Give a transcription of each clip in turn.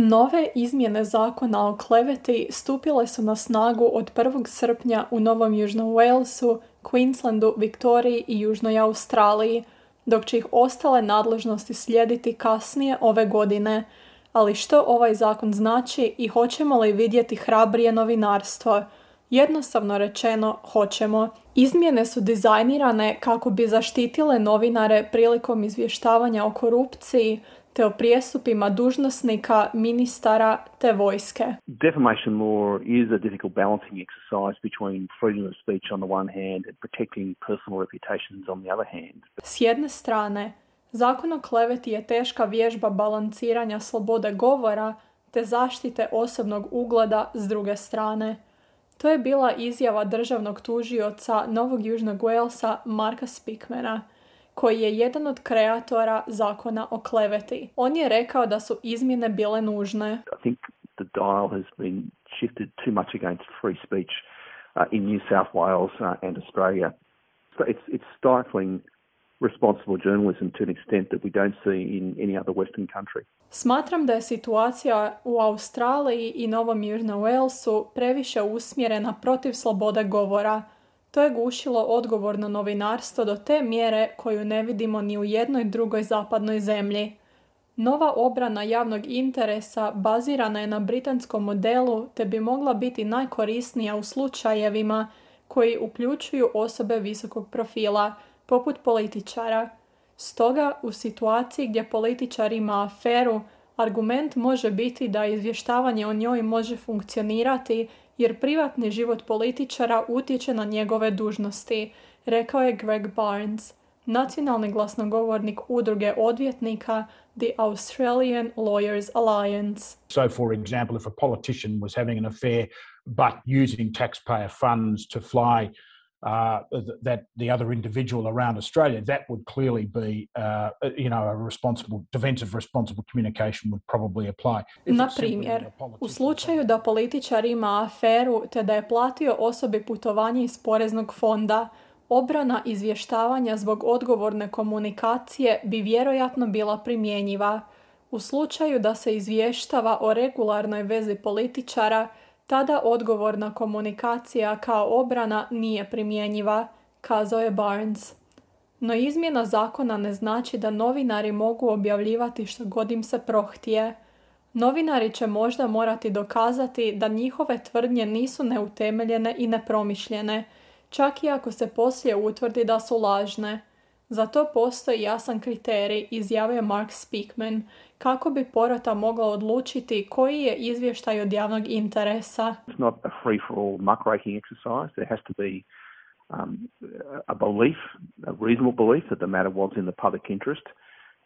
Nove izmjene zakona o kleveti stupile su na snagu od 1. srpnja u Novom Južnom Walesu, Queenslandu, Viktoriji i Južnoj Australiji, dok će ih ostale nadležnosti slijediti kasnije ove godine. Ali što ovaj zakon znači i hoćemo li vidjeti hrabrije novinarstvo? Jednostavno rečeno, hoćemo. Izmjene su dizajnirane kako bi zaštitile novinare prilikom izvještavanja o korupciji, te o prijestupima dužnosnika, ministara te vojske. Defamation law is a difficult balancing exercise between freedom of speech on the one hand and protecting personal reputations on the other hand. S jedne strane, zakon o kleveti je teška vježba balansiranja slobode govora te zaštite osobnog ugleda s druge strane. To je bila izjava državnog tužioca Novog Južnog Walesa Marka Speakmana, koji je jedan od kreatora zakona o kleveti. On je rekao da su izmjene bile nužne. I think the dial has been shifted too much against free speech in New South Wales and Australia. So it's stifling responsible journalism to an extent that we don't see in any other Western country. Smatram da je situacija u Australiji i Novom Južnom Walesu previše usmjerena protiv slobode govora. To je gušilo odgovorno novinarstvo do te mjere koju ne vidimo ni u jednoj drugoj zapadnoj zemlji. Nova obrana javnog interesa bazirana je na britanskom modelu te bi mogla biti najkorisnija u slučajevima koji uključuju osobe visokog profila, poput političara. Stoga, u situaciji gdje političar ima aferu, argument može biti da izvještavanje o njoj može funkcionirati jer privatni život političara utječe na njegove dužnosti, rekao je Greg Barnes, nacionalni glasnogovornik udruge odvjetnika The Australian Lawyers Alliance. So, for example, if a politician was having an affair but using taxpayer funds to fly that the other individual around Australia, that would clearly be, a responsible, defensive responsible communication would probably apply. Na primjer, u slučaju da političar ima aferu te da je platio osobi putovanje iz poreznog fonda, obrana izvještavanja zbog odgovorne komunikacije bi vjerojatno bila primjenjiva. U slučaju da se izvještava o regularnoj vezi političara, tada odgovorna komunikacija kao obrana nije primjenjiva, kazao je Barnes. No izmjena zakona ne znači da novinari mogu objavljivati što god im se prohtije. Novinari će možda morati dokazati da njihove tvrdnje nisu neutemeljene i nepromišljene, čak i ako se poslije utvrdi da su lažne. Za to postoji jasan kriterij, izjavio Mark Speakman, kako bi porota mogla odlučiti koji je izvještaj od javnog interesa. It's not a free-for-all muckraking exercise. There has to be a belief, a reasonable belief that the matter was in the public interest.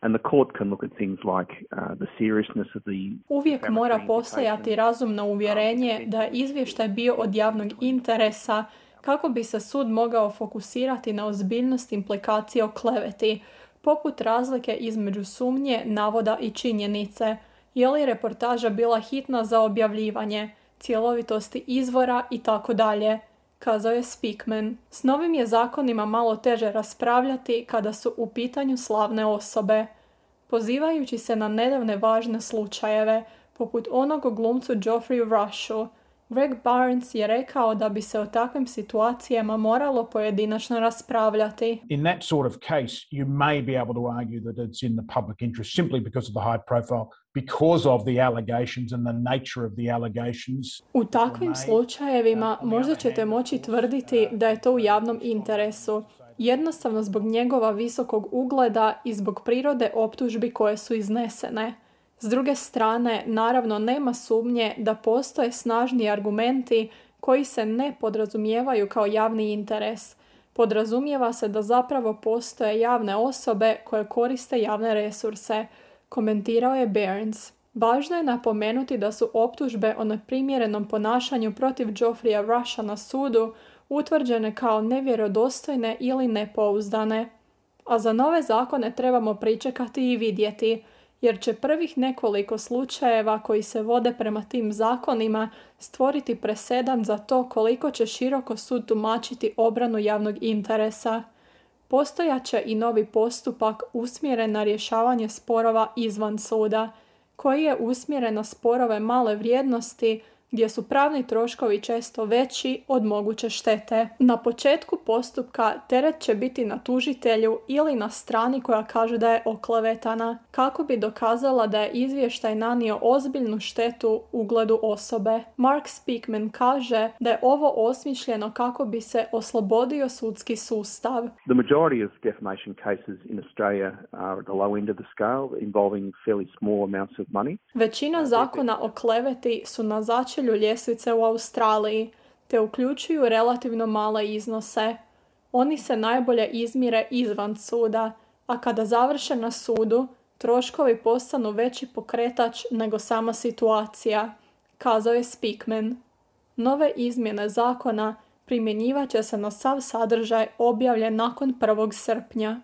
And the court can look at things like the seriousness of the... Uvijek mora postojati razumno uvjerenje da je izvještaj bio od javnog interesa, kako bi se sud mogao fokusirati na ozbiljnost implikacije o kleveti, poput razlike između sumnje, navoda i činjenice, je li reportaža bila hitna za objavljivanje, cjelovitosti izvora i tako dalje, kazao je Speakman. S novim je zakonima malo teže raspravljati kada su u pitanju slavne osobe. Pozivajući se na nedavne važne slučajeve, poput onog o glumcu Geoffreyu Rushu, Greg Barnes je rekao da bi se o takvim situacijama moralo pojedinačno raspravljati. In that sort of case, you may be able to argue that it's in the public interest simply because of the high profile, because of the allegations and the nature of the allegations. U takvim slučajevima možda ćete moći tvrditi da je to u javnom interesu, jednostavno zbog njegova visokog ugleda i zbog prirode optužbi koje su iznesene. S druge strane, naravno nema sumnje da postoje snažni argumenti koji se ne podrazumijevaju kao javni interes. Podrazumijeva se da zapravo postoje javne osobe koje koriste javne resurse, komentirao je Barnes. Važno je napomenuti da su optužbe o neprimjerenom ponašanju protiv Geoffreya Rusha na sudu utvrđene kao nevjerodostojne ili nepouzdane. A za nove zakone trebamo pričekati i vidjeti, jer će prvih nekoliko slučajeva koji se vode prema tim zakonima stvoriti presedan za to koliko će široko sud tumačiti obranu javnog interesa. Postojaće i novi postupak usmjeren na rješavanje sporova izvan suda, koji je usmjeren na sporove male vrijednosti gdje su pravni troškovi često veći od moguće štete. Na početku postupka teret će biti na tužitelju ili na strani koja kaže da je oklevetana, kako bi dokazala da je izvještaj nanio ozbiljnu štetu ugledu osobe. Mark Speakman kaže da je ovo osmišljeno kako bi se oslobodio sudski sustav. The majority of defamation cases in Australia are at the low end of the scale, involving fairly small amounts of money. Većina zakona o kleveti su na začelju ljestvice u Australiji, te uključuju relativno male iznose. Oni se najbolje izmire izvan suda, a kada završe na sudu, troškovi postanu veći pokretač nego sama situacija, kazao je Speakman. Nove izmjene zakona primjenjivat će se na sav sadržaj objavljen nakon 1. srpnja.